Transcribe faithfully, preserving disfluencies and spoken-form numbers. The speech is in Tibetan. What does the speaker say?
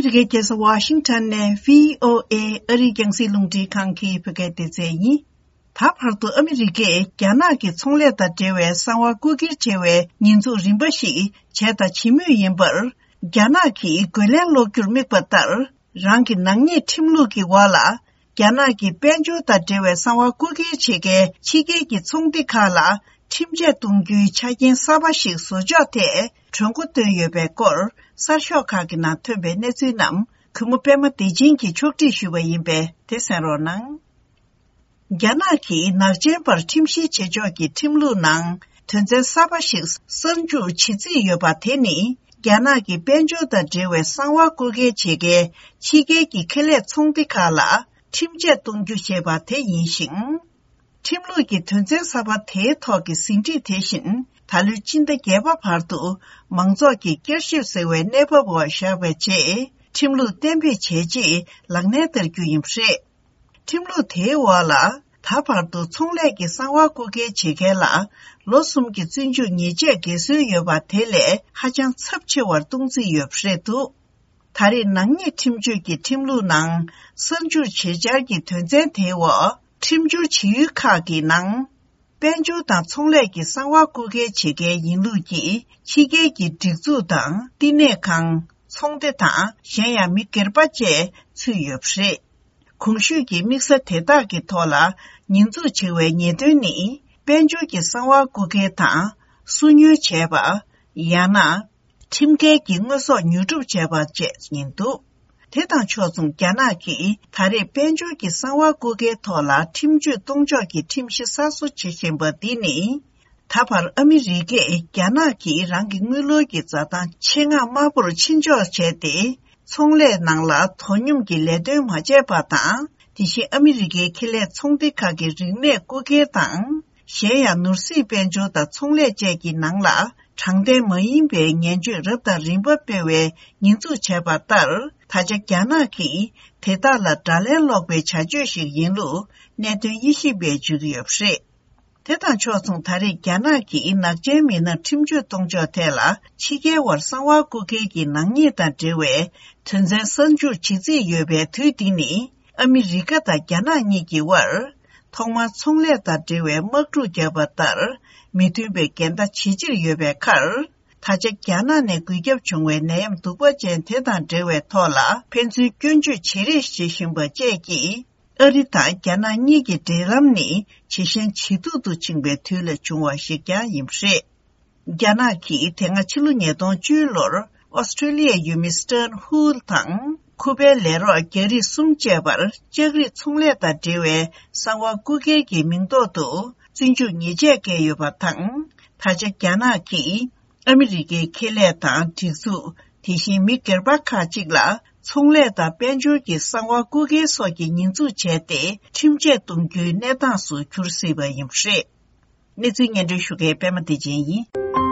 ཨ་རི་རྒྱལ་ས་ཝ་ཤིང་ཊོན་ནས་བྷི་ཨོ་ཨེ་ཨ་རིའི་རྒྱང་སྲིང་རླུང་འཕྲིན་ཁང་གི་བོད་སྐད་སྡེ་ཚན་ཡིན། ད་བར་དུ་ཨ་མི་རི་ཀས་རྒྱ་ནག་གི་ཚོང་ལས་དང་འབྲེལ་བའི་གསང་བ་རྐུ་འཁྱེར་བྱས་པའི་ཉེས་འཛུགས་རིམ་པ་ཞིག་བྱས་དང་བྱེད་མུས་ཡིན་པར། རྒྱ་ནག་གིས་རྒོལ་ལན་སློག་རྒྱུར་དམིགས་པ་ལྟར། རང་གི་ནག་ཉེས་ཁྲིམས་ལུགས་ཀྱི་འོག་ལ། རྒྱ་ནག་གི་དཔལ་འབྱོར་དང་འབྲེལ་བའི་གསང་བ་རྐུ་འཁྱེར་བྱེད་མཁན་ཕྱི་རྒྱལ་གྱི་ཚོང་སྡེ་ཁག་ལ་ཁྲིམས་ཆད་གཏོང་རྒྱུའི་ཆ་རྐྱེན་གསར་པ་ཞིག་བཟོ་ཕྱོགས་ཐད་གྲོས་འགོ་བཏོན་ཡོད་པའི་སྐོར། གསར་ཤོག་ཁག་གི་ནང་ཐོན་པའི་གནས་ཚུལ་རྣམས་གུས་མོ་པད་མ་བདེ་ཆེན་གྱིས་ཕྱོགས་སྒྲིག་ཞུས་པ་ཡིན་པས། དེ་གསན་རོགས་གནང་། རྒྱ་ནག་གིས་ནག་ཅན་པར་ཁྲིམས་བཤེར་བྱེད་ཕྱོགས་ཀྱི་ཁྲིམས་ལུགས་ནང་དོན་ཚན་གསར་པ་ཞིག་གསར་འཇུག་བྱེད་རྩིས་ཡོད་པ་དེ་ནི། རྒྱ་ནག་གི་དཔལ་འབྱོར་དང་འབྲེལ་བའི་གསང་བ་རྐུ་འཁྱེར་བྱེད་མཁན་ཕྱི་རྒྱལ་གྱི་ཁེ་ལས་ཚོང་སྡེ་ཁག་ལ་ཁྲིམས་ཆད་གཏོང་རྒྱུ་ཞེས་པ་དེ་ཡིན་ཞིང་། ཁྲིམས་ལུགས་ཀྱི་དོན་ཚན་གསར་པ་དེའི་ཐོག་གི་ཟིན་བྲིས་དེ་བཞིན། ད་ལོའི་སྤྱི་ཟླ་བརྒྱད་པ་བར་དུ་མང་ཚོགས་ཀྱིས་བསྐྱར་ཞིབ་ཟེར་བའི་གནས་བབ་འོག་བཞག་པའི་རྗེས། ཁྲིམས་ལུགས་གཏན་འབེབས་བྱས་རྗེས་ལག་ལེན་བསྟར་རྒྱུ་ཡིན་པ་རེད། ཁྲིམས་ལུགས་དེའི་འོག་ལ། ད་བར་དུ་ཚོང་ལས་ཀྱི་གསང་བ་རྐུ་འཁྱེར་བྱེད་མཁན་ལ། ལོ་གསུམ་གྱི་བཙོན་འཇུག་ཉེས་ཆད་འགེལ་སྲོལ་ཡོད་པ་དེ་ལས་ཧ་ཅང་ཚབས་ཆེ་བར་གཏོང་རྩིས་ཡོད་པ་རེད་འདུག་ད་རེས་ནག་ཉེས་ཁྲིམས་གཅོད་ཀྱི་ཁྲིམས་ལུགས་ནང་གསར་འཇུག་བྱེད་འཆར་གྱི་དོན་ཚན་དེའི་འོག་ཁྲིམས་སྦྱོར་བྱེད་ཡུལ་ཁག་གི་ནང་། དཔལ་འབྱོར་དང་ཚོང་ལས་ཀྱི་གསང་བ་རྐུ་འཁྱེར་བྱེད་མཁན་ཡིན་ལུགས་ཀྱིས་ཕྱི་རྒྱལ་གྱི་སྒྲིག་འཛུགས་དང་བསྟི་གནས་ཁང་། ཚོང་སྡེ་དང་གཞན་ཡང་མི་སྒེར་པ་བཅས་ཚུད་ཡོད་པ་རེད། གོང་ཞུས་ཀྱི་དམིགས་ས་དེ་དག་གི་ཐོག་ལ་ཉེས་འཛུགས་བྱེད་པའི་ཉེས་དོན་ནི། དཔལ་འབྱོར་གྱི་གསང་བ་རྐུ་མཁན་དང་སུ་ཉོ་བྱས་པ། ཡང་ན། ཁྲིམས་འགལ་གྱི་དངོས་ཟོག་ཉོ་སྒྲུབ་བྱས་པ་བཅས་ཡིན་འདུག་དེ་དང་ཕྱོགས་མཚུངས། རྒྱ་ནག་གིས་ད་རེས་དཔལ་འབྱོར་གྱི་གསང་བ་རྐུ་མཁན་ཐོག་ལ་ཁྲིམས་གཅོད་གཏོང་ཕྱོགས་ཀྱི་ཁྲིམས་གཞི་གསར་བཟོ་བྱེད་བཞིན་པ་འདི་ནི། ད་བར་ཨ་མི་རི་ཀས་རྒྱ་ནག་གིས་རང་གི་དངུལ་ལོར་གྱི་འཛའ་ཐང་ཆེད་མངགས་དམའ་པོར་ཕྱིན་འཇོག་བྱས་ཏེ། ཚོང་ལས་ནང་ལ་དོ་སྙོམས་ཀྱི་ལས་དོན་མ་བྱས་པ་དང་། དེ་བཞིན་ཨ་མི་རི་ཀའི་ཁེ་ལས་ཚོང་སྡེ་ཁག་གི་རིག་གནས་རྐུ་འཁྱེར་དང་། གཞན་ཡང་ནོར་སྲིད་དཔལ་འབྱོར་དང་ཚོང་ལས་བཅས་ཀྱི་ནང་ལ་དྲང་བདེན་མ་ཡིན་པའི་ངན་བྱུས་རབ་དང་རིམ་པ་སྤེལ་བའི་ཉེས་འཛུགས་བྱས་པ་ལྟར། ད་ཆ་རྒྱ་ནག་གིས་དེ་དག་ལ་དགྲ་ལན་སློག་པའི་བྱ་སྤྱོད་ཞིག་ཡིན་ལུགས་གནད་དོན་དབྱེ་ཞིབ་པས་བརྗོད་ཀྱི་ཡོད་པ་རེད། དེ་དང་ཕྱོགས་མཚུངས། ད་རེས་རྒྱ་ནག་གིས་ནག་ཅན་མི་སྣར་ཁྲིམས་གཅོད་གཏོང་ཕྱོགས་ཐད་ལ་ཕྱི་རྒྱལ་བར་གསང་བ་རྐུ་འཁྱེར་གྱི་ནག་ཉེས་དང་འབྲེལ་བའི་དོན་ཚན་གསར་འཇུག་བྱེད་རྩིས་ཡོད་པའི་དུས་འདི་ནི། ཨ་མི་རི་ཀ་དང་རྒྱ་ནག་གཉིས་ཀྱི་དབར་ཐོག་མར་ཚོང་ལས་དང་འབྲེལ་བའི་དམག་འཁྲུག་བརྒྱབ་པ་ལྟར་མི་མཐུན་པའི་འགལ་ཟླ་ཇེ་ཆེར་ཡོད་པའི་ཁར། ད་ཆ་རྒྱ་ནག་ནས་འགོས་ཁྱབ་བྱུང་བའི་ནད་ཡམས་གདུག་པ་ཅན་དེ་དང་འབྲེལ་བའི་ཐོག་ལ་ཕན་ཚུན་སྐྱོན་བརྗོད་བྱེད་རེས་བྱེད་བཞིན་པ་བཅས་ཀྱིས། ཨ་རི་དང་རྒྱ་ནག་གཉིས་ཀྱི་འབྲེལ་ལམ་ནི་ཇེ་ཞན་ཇེ་སྡུག་ཏུ་ཕྱིན་པའི་དུས་ལ་བྱུང་བ་ཞིག་ཀྱང་ཡིན་པ་རེད། རྒྱ་ནག་གིས་དེ་སྔ་ཕྱི་ལོ་ཉིས་སྟོང་བཅུ་ལོར་ཨོ་སི་ཀྲི་ལི་ཡའི་ཡུལ་མི་སི་ཊན་ཧུའུ་དང་ཁུ་པའི་ལས་རོགས་རྒྱ་རིགས་གསུམ་བཅས་པར་ལྕགས་རིགས་ཚོང་ལས་དང་འབྲེལ་བའི་གསང་བ་རྐུ་འཁྱེར་གྱི་མིང་ཐོག་ཏུ་བཙོན་འཇུག་ཉེས་ཆད་བཀལ་ཡོད་པ་དང་། ད་ཆ་རྒྱ་ནག་གིས་ཨ་མི་རི་ཀའི་ཁེ་ལས་དང་སྒྲིག་འཛུགས། དེ་བཞིན་མི་སྒེར་པ་ཁག་ཅིག་ལ་ཚོང་ལས་དང་དཔལ་འབྱོར་གྱི་གསང་བ་རྐུ་འཁྱེར་སོགས་ཀྱི་ཉེས་འཛུགས་བྱས་ཏེ། ཁྲིམས་ཆད་གཏོང་རྒྱུའི་གནས་སྟངས་སུ་གྱུར་སྲིད་པ་ཡིན་པ་རེད། གནས་ཚུལ་སྙན་སྒྲོན་ཞུ་མཁན་པད་མ་བདེ་ཆེན་ཡིན།